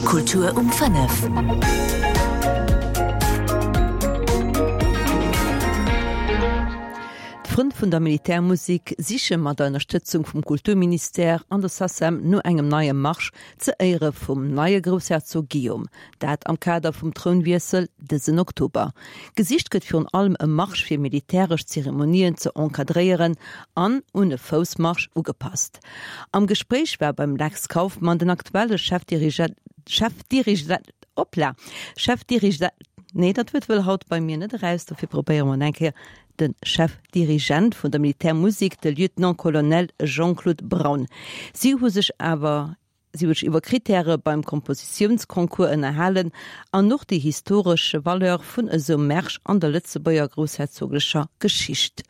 Kultur um 5. D'Frënn vun der Militärmusek siche mat der Ënnerstëtzung vum Kulturministère an der SACEM no engem neie Marsch ze Éiere vum neie Groussherzog Guillaume. Dat am Kader vum Trounwiessel dësen Oktober. Gesicht gëtt virun allem e Marsch fir militäresch Zeremonien ze encadréieren an un e Foussmarsch ugepasst. Am Gespréich war beim Lex Kauffmann den aktuelle Chefdirigent, Chefdirigent, hoppla, Chefdirigent, nee dat Wuert wëll haut bei mir net eraus, dofir probéiere mer et eng Kéier, de Chefdirigent vun der Militärmusek, de Lieutenant-Colonel Jean-Claude Braun. Si hu sech awer si hu sech iwwer Krittäre beim Kompositiounsconcours ënnerhalen an och déi historesch Valeur vun esou Märsch an der Lëtzebuerger groussherzoglecher Geschicht.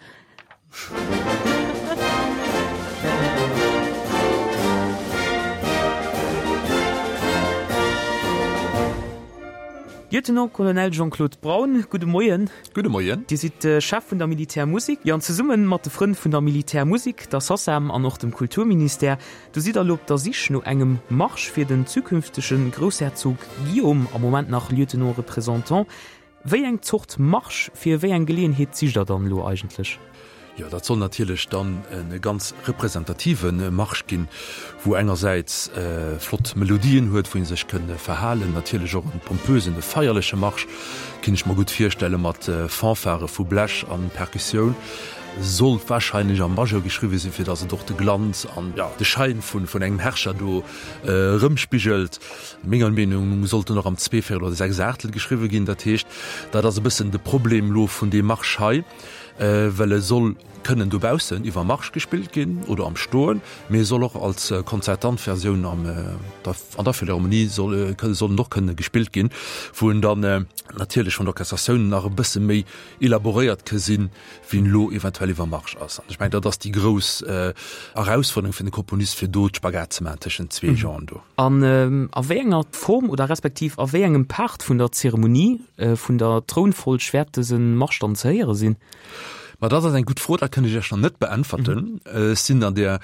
Lieutenant-Colonel Jean-Claude Braun, gudde Moien. Gudde Moien. Dir sidd Chef vun der Militärmusek. Jo, an zesumme mat de Frënn vun der Militärmusek, der SACEM an och dem Kulturministère, do sidd der elo op der Sich no engem Marsch fir den zukünftege Groussherzog Guillaume, am Moment nach Lieutenant représentant. Wéi eng Zort Marsch fir wéi eng Geleeënheet sicht der dann elo eigentlech? Jo, dat soll natierlech dann e ganz representative Marsch ginn, wou engersäits flott Melodien huet, wou ee sech kënn verhalen, natierlech och e pompösen, e feierleche Marsch, kinn ech mer gutt virstelle mat Fanfare vu Blech an Perkussioun. Soll wahrscheinlech am Majeur geschriwwe sinn, fir datt et och de Glanz an de Schein vun engem Herrscher do erëmspigelt. Menger Meenung no sollt en och am Zweevéierel oder Sechsachtel geschriwwe ginn. Dat heescht, dat ass e bëssen de Problem elo vun deem Marsch hei. Well e soll kënnen dobaussen iwwer Marsch gespillt ginn oder am Stoen, mee e soll och als konzertant Versioun an der Philharmonie soll soll en och kënne gespillt ginn, wou en dann natierlech vun der Orchestratioun nach e bësse méi elaboréiert ke sinn, wéi en elo eventuell iwwer Marsch ass. An ech mengen, dat ass déi grouss Erausfuerderung fir de Komponist, fir do d'Spagat ze maachen tëschent zwee Genren do. An a wéi enger Form oder respektiv a wéi engem Part vun der Zeremonie vun der Trounfolg wäert dëse Marsch dann ze héiere sinn? Ma dat ass eng gutt Fro, dat kënn ech Iech nach net beäntwerten. Ech sinn an där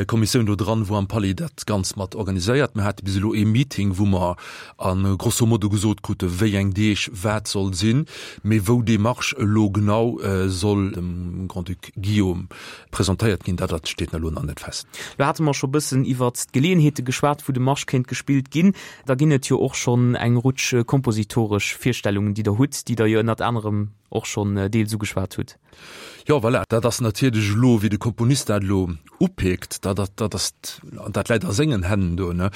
Kommissioun do dran, wou am Palais dat Ganzt mat organiséiert. Mir hate bis elo ee Meeting, wou mer a grosso modo gesot krute wéi eng Deeg wat soll sinn, mee wou dee Marsch elo genau soll dem Grand-Duc Guillaume Presentéiert ginn, dat steet elo nach net fest. Lo hate mer scho bëssen iwwert d'Geleeënheete geschwat, wou de Marsch kéint gespillt ginn. Da ginn et jo och schonn eng Rutsch kompositoresch Virstellungen, déi Der hutt, déi Der jo ënnert anerem och schonn deels ugeschwat hutt. Jo, voilà, dat ass natierlech elo, wéi de Komponist dat elo upeekt, dat, dat ass, dat läit a sengen Hänn do, ne.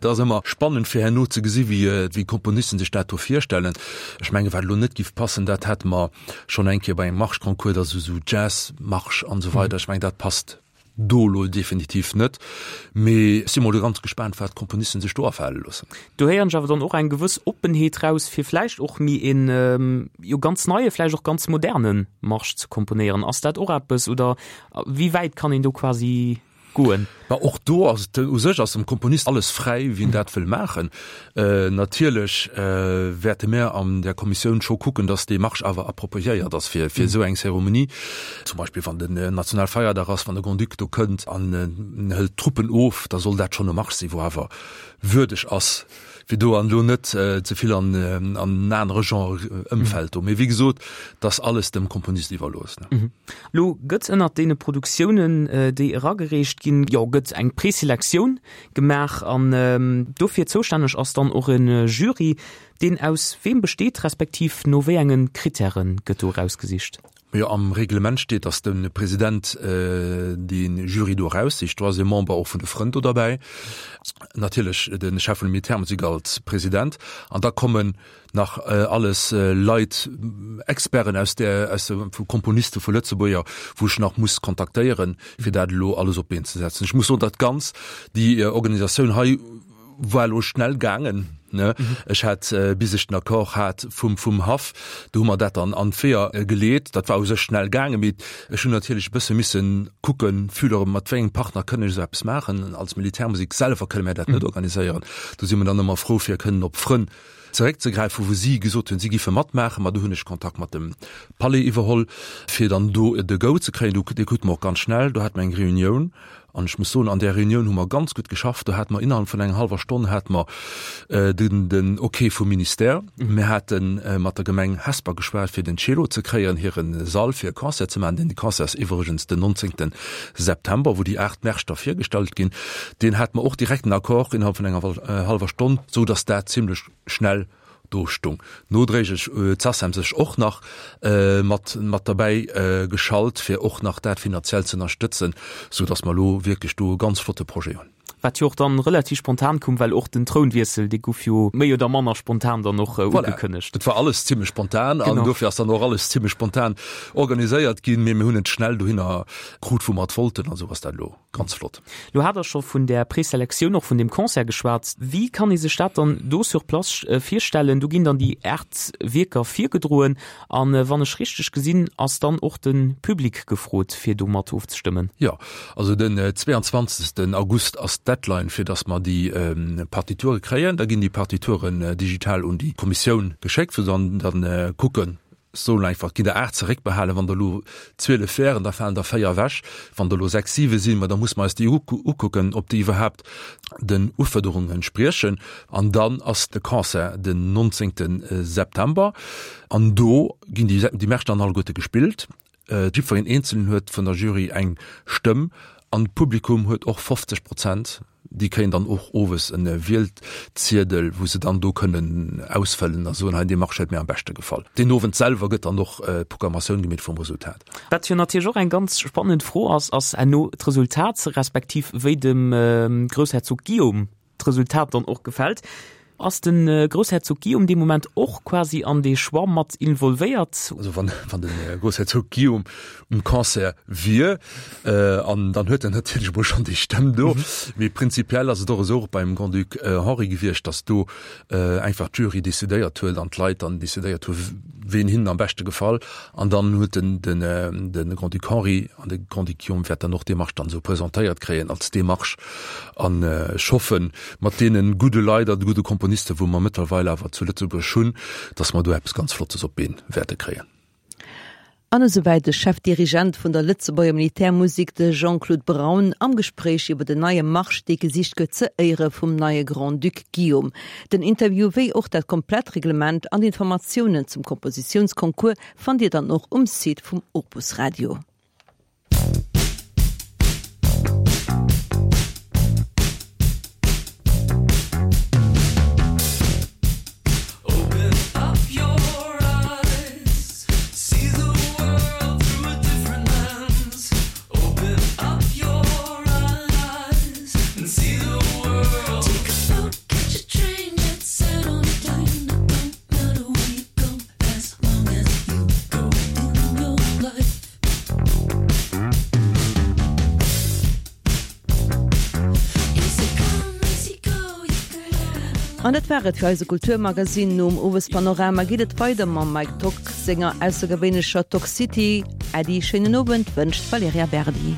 Dat ass ëmmer spannend, fir herno ze gesi wéi, wéi d'Komponisten sech dat do virstellen. Ech menge wat elo net giff passen, dat hate mer Schonn eng Kéier bei engem Marschconcours, da sou Jazz-Marsch an esou weider. Ech mengen, dat passt do elo definitiv net. Mee ech si mol ganz gespaant, wat d'Komponisten sech do afale loossen. Do héieren ech awer dann och eng gewëss Oppenheet raus, fir vläicht och méi een, jo ganz neie, vläicht och ganz moderne Marsch ze komponéieren. Ass dat och eppes oder wéi wäit kann een do quasi goen. Mä och do ass et, u sech ass dem Komponist alles fräi, wéi en dat wëll maachen. Natierlech wäerte mär an där Kommissioun scho kucken, datt dee Marsch awer appropriéiert ass fir esou eng Zeremonie. Zum Beispill wann den Nationalfeierdag ass, wann de Grand-Duc do kënnt an en hëlt d'Truppen of, da soll dat schonn e Marsch sinn, wou awer würdeg ass, fir do an elo net ze vill an en anere Genre ëmfält do. Mee wéi gesot, 't ass alles dem Komponist iwwerlooss. Lo gëtt ënnert deene Produktiounen, déi eragereecht ginn, jo gëtt eng Preselektioun gemaach an dofir zoustänneg ass dann och e Jury, deen aus weem besteet, respektiv no wéi enge Krittäre gëtt do erausgesicht? Jo, am Reglement steet, datt de President de Jury do eraussicht. Do ass e Member och vun de Frënn do derbäi, natierlech de Chef vun der Militärmusek als President. An da kommen nach alles Leit, Experten aus der, aus de, vu Komponiste vu Lëtzebuerger, wou ech nach muss kontaktéieren, fir dat elo alles op d'Been ze setzen. Ech muss soen, dat Ganz, déi Organisatioun hei, War elo schnell gaangen, ne? Ech hat, bis ech den Accord hat vum, vum Haff, do hu mer dat dann an d'Weeër geleet. Dat war u sech schnell gaangen, mee ech hunn natierlech e bësse misse kucken, fühlere mat wéi engem Partner kënn ech esou eppes maachen. Als Militärmusek selwer kënne mär dat net organiséieren. Do si mer dann ëmmer frou, fir kënnen op Frënn zeréckzegräifen, wou si gesot hunn, si giffe matmaachen. Ma do hunn ech Kontakt mat dem Palais iwwerholl, fir dann do de Go ze kréien. Do, dee krute mer och ganz schnell. Do hate mer eng Reunioun. An ech muss soen, an där Reunioun hu mer ganz gutt geschafft. Do hate mer innerhalb vun enger hallwer Stonn hate mer den, den Okay vum Ministère. Mir hate mat der Gemeng Hesper geschwat, fir den Cello ze kréien, hire Sall fir e Concert ze maachen. Deen Concert ass iwwregens den 19. September, wou déi 8 Märsch da virgestallt ginn. Deen hate mer och direkt den Accord innerhalb vun enger hallwer Stonn, sou datt dat zimlech schnell do stung. Nodréiglech huet d'SACEM sech och nach mat mat derbäi geschalt, fir och nach dat finanziell ze ënnerstëtzen, sou datt mer elo wierklech do e ganz flotte Projet hunn. Wat jo och dann relativ spontan koum, well och den Trounwiessel, dee guff jo méi oder manner spontan dann och ugekënnegt. Voilà, et war alles zimlech spontan an dofir ass dann och alles zimlech spontan organiséiert ginn, mee mir hunn et schnell dohinner krut, wou mer et wollten, an esou ass dat elo. Ganz flott. Lo hat Der scho vun där Preselektioun, och vun deem Concert geschwat. Wéi kann ee sech dat dann do sur place virstellen? Do ginn dann déi 8 Wierker virgedroen an, wann ech richteg gesinn, ass dann och de Public gefrot, fir do mat ofzestëmmen. Jo, also den 22. August ass d'Deadline, fir datt mer déi Partiture kréien. Da ginn déi Partituren digital un déi Kommissioun geschéckt, wou se dann dann kucken, Soen einfach, ginn der 8 zeréckbehalen, wann der elo 12 wären, da falen der 4 ewech, wann der elo 6, 7 sinn, ma da musse mer eis déi ukucken, ob déi iwwerhaapt den Ufuerderungen entspriechen. An dann ass de Concert den 19. September an do ginn déi déi Märsch dann alleguerte gespillt. Jiddwereen Eenzelen huet vun der Jury eng Stëmm an d'Publikum huet och 50 Prozent. Déi kréien dann och owes en Wielziedel, wou se dann do kënnen ausfëllen a soen, hei dee Marché huet mir am beschte gefall. Deen Owend selwer gëtt dann och d'Programmatioun gemeet vum Resultat. Wat jo natierlech och eng ganz spannend Fro ass, ass herno d'Resultat, respektiv wéi dem Groussherzog Guillaume d'Resultat dann och gefält. Ass de Groussherzog Guillaume dee Moment och quasi an dee Choix mat involvéiert? Also wann wann de Groussherzog Guillaume um Concert wier, an dann huet en natierlech emol schonn déi Stëmm do. Mee prinzipiell ass et och esou och beim Grand-Duc Henri gewiescht, datt do einfach d'Jury decidéiert huet an d'Leit dann decidéiert hu ween hinnen am beschte gefall. An dann huet den den de Grand-Duc Henri an de Grand-Duc Guillaume wäert dann och d'Demarche dann esou presentéiert kréien als Demarche. An ech hoffen, mat deene gudde Leit a de gudde Komponisten, wou mer mëttlerweil awer zu Lëtzebuerg hunn, dass mer do eppes ganz Flottes op d'Been wäerte kréien. An esouwäit de Chefdirigent vun der Lëtzebuerger Militärmusek, de Jean-Claude Braun, am Gespréich iwwer den neie Marsch, dee gesicht gëtt ze Éiere vum neie Grand-Duc Guillaume. Den Interview wéi och dat komplett Reglement an d'Informatiounen zum Kompositiounsconcours fannt Dir dann och um Site vum Opus Radio. An dat war et fir eise Kulturmagazin. Nom Owespanorama geet et weider mam Mike Tock senger aussergewéinlecher Tock City. Äddi, schéinen Owend wënscht d'Valerija Berdi.